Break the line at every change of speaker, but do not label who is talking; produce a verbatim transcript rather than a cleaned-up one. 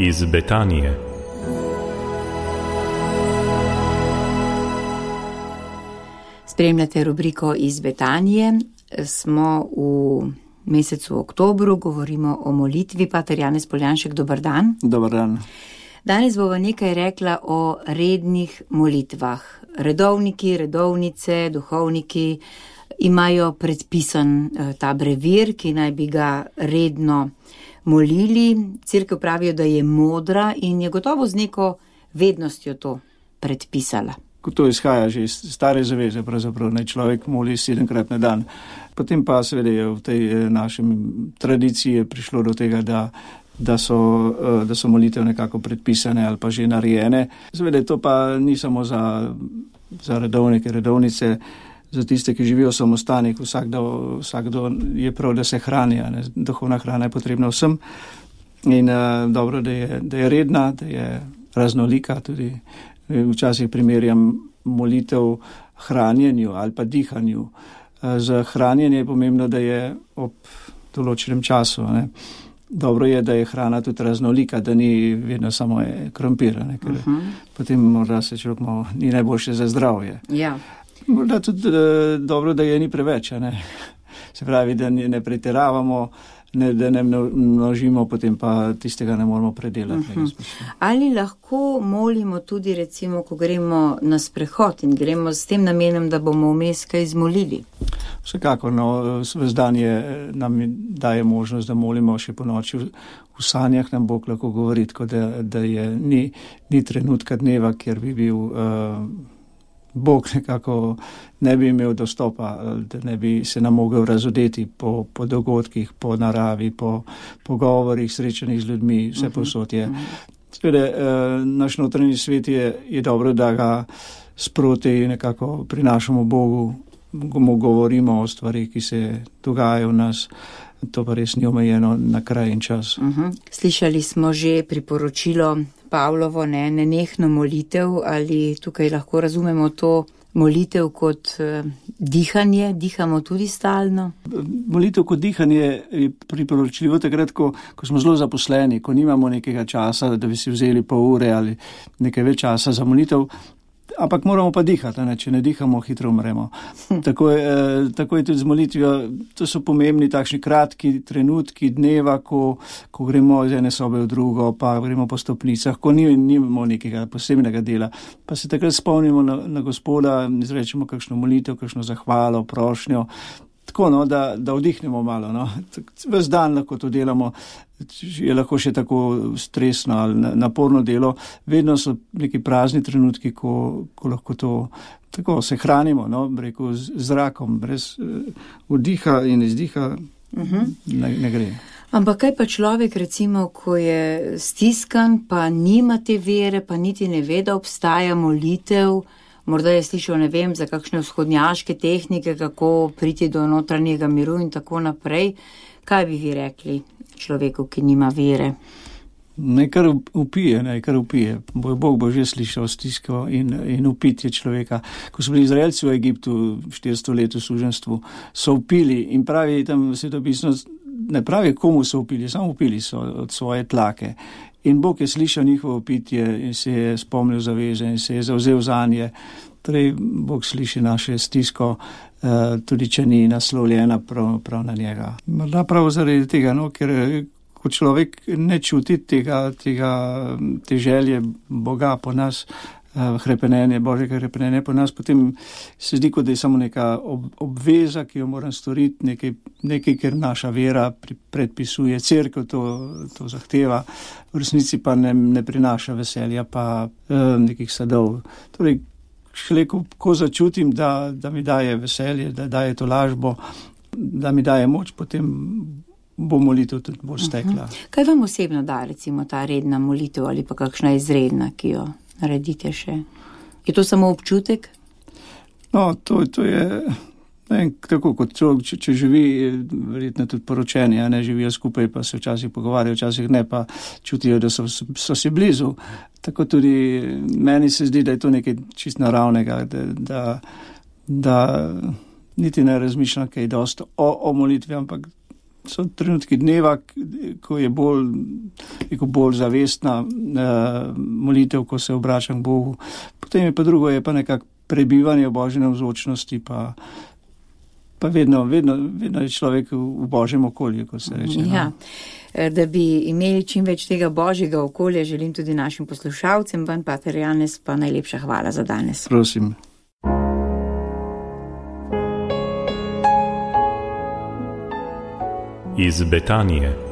iz Betanije.
Spremljate rubriko iz Betanije. Smo v mesecu oktobru, govorimo o molitvi. Pater Janez Poljanšek, dober dan.
Dober dan.
Danes bova nekaj rekla o rednih molitvah. Redovniki, redovnice, duhovniki imajo predpisan ta brevir, ki naj bi ga redno molili. Cerkev pravijo, da je modra in je gotovo z neko vednostjo to predpisala.
To izhaja že iz stare zaveze, pravzaprav naj človek moli sedemkrat na dan. Potem pa seveda je v tej našem tradiciji prišlo do tega, da, da, so, da so molitev nekako predpisane ali pa že narejene. Seveda to pa ni samo za, za redovnike, redovnice, za tiste, ki živijo v samostanih. Vsakdo, vsakdo je prav, da se hrani, ne? Duhovna hrana je potrebna vsem. In uh, dobro, da je, da je redna, da je raznolika tudi. Včasih primerjam molitev hranjenju ali pa dihanju. Za hranjenje je pomembno, da je ob določenem času. Ne. Dobro je, da je hrana tudi raznolika, da ni vedno samo krompir, ne, ker uh-huh. potem morda se človek malo ni najboljše za zdravje.
Ja.
Morda tudi uh, dobro, da je ni preveč. Ne. Se pravi, da ne pretiravamo, ne, da ne množimo, potem pa tistega ne moramo predelati. Uh-huh.
Ali lahko molimo tudi, recimo, ko gremo na sprehod in gremo s tem namenom, da bomo vmes kaj izmolili?
Vsekakor, no, ves dan je, nam daje možnost, da molimo še po noči. V sanjah nam Bog lahko govori, tako da, da je, ni, ni trenutka dneva, kjer bi bil uh, Bog nekako ne bi imel dostopa, da ne bi se nam mogel razodeti po, po dogodkih, po naravi, po pogovorih, srečanih z ljudmi, vse posod je. Seveda, uh, naš notranji svet je, je dobro, da ga sproti nekako prinašamo Bogu, mu govorimo o stvarih, ki se dogajajo v nas. To pa res ni omejeno na kraj in čas.
Uh-huh. Slišali smo že priporočilo Pavlovo, ne, nenehno molitev, ali tukaj lahko razumemo to molitev kot uh, dihanje, dihamo tudi stalno?
Molitev kot dihanje je priporočljivo takrat, ko, ko smo zelo zaposleni, ko nimamo nekega časa, da bi si vzeli pol ure ali nekaj več časa za molitev. Ampak moramo pa dihati, ne? Če ne dihamo, hitro umremo. Tako je, eh, tako je tudi z molitvijo. To so pomembni takšni kratki trenutki dneva, ko, ko gremo iz ene sobe v drugo, pa gremo po stopnicah, ko nimamo nekega posebnega dela. Pa se takrat spomnimo na, na Gospoda, izrečemo kakšno molitev, kakšno zahvalo, prošnjo. Tako, no, da, da vdihnemo malo. No. Ves dan lahko to delamo, je lahko še tako stresno ali naporno delo. Vedno so neki prazni trenutki, ko, ko lahko to tako se hranimo, no, rekel, z zrakom, brez uh, vdiha in izdiha uh-huh. ne, ne gre.
Ampak kaj pa človek, recimo, ko je stiskan, pa nima te vere, pa niti ne ve, da obstaja molitev, morda je slišal, ne vem, za kakšne vzhodnjaške tehnike, kako priti do notranjega miru in tako naprej. Kaj bi vi rekli človeku, ki nima vere?
Ne, kar upije, ne, kar upije. Bog bo že slišal stisko in, in upitje človeka. Ko so bili Izraelci v Egiptu štiristo let v suženstvu, so upili in pravi tam svetopisno, ne pravi komu so upili, samo upili so od svoje tlake. In Bog je slišal njihovo pitje in se je spomnil zaveze in se je zavzel zanje. Torej, Bog sliši naše stisko, tudi če ni naslovljena prav, prav na njega. Morda prav zaradi tega, no, ker ko človek ne čuti tega, tega, te želje Boga po nas, hrepenenje, Božjega hrepenenja po nas, potem se zdi, kot da je samo neka ob, obveza, ki jo moram storiti, nekaj, nekaj, ker naša vera predpisuje, cerkev to, to zahteva, v resnici pa ne, ne prinaša veselja, pa eh, nekih sadov. Torej, šele ko, ko začutim, da, da mi daje veselje, da daje to lažbo, da mi daje moč, potem bo molitev tudi bolj stekla.
Uh-huh. Kaj vam osebno da, recimo, ta redna molitev ali pa kakšna izredna, ki jo naredite še? Je to samo občutek?
No, to, to je ne, tako kot človek, če, če živi, verjetno tudi poročeni, a ne živijo skupaj, pa se včasih pogovarjajo, včasih ne, pa čutijo, da so, so si blizu. Tako tudi meni se zdi, da je to nekaj čist naravnega, da, da, da niti ne razmišljam kaj dosti o, o molitvi, ampak so trenutki dneva, ko je bolj, bolj zavestna uh, molitev, ko se obračam k Bogu. Potem je pa drugo, je pa nekako prebivanje v Božji navzočnosti, pa, pa vedno, vedno, vedno je človek v Božjem okolju, ko se reče.
Ja. Da bi imeli čim več tega Božjega okolja, želim tudi našim poslušalcem, vam, pater Janez, pa najlepša hvala za danes.
Prosim.
Iz Betanije.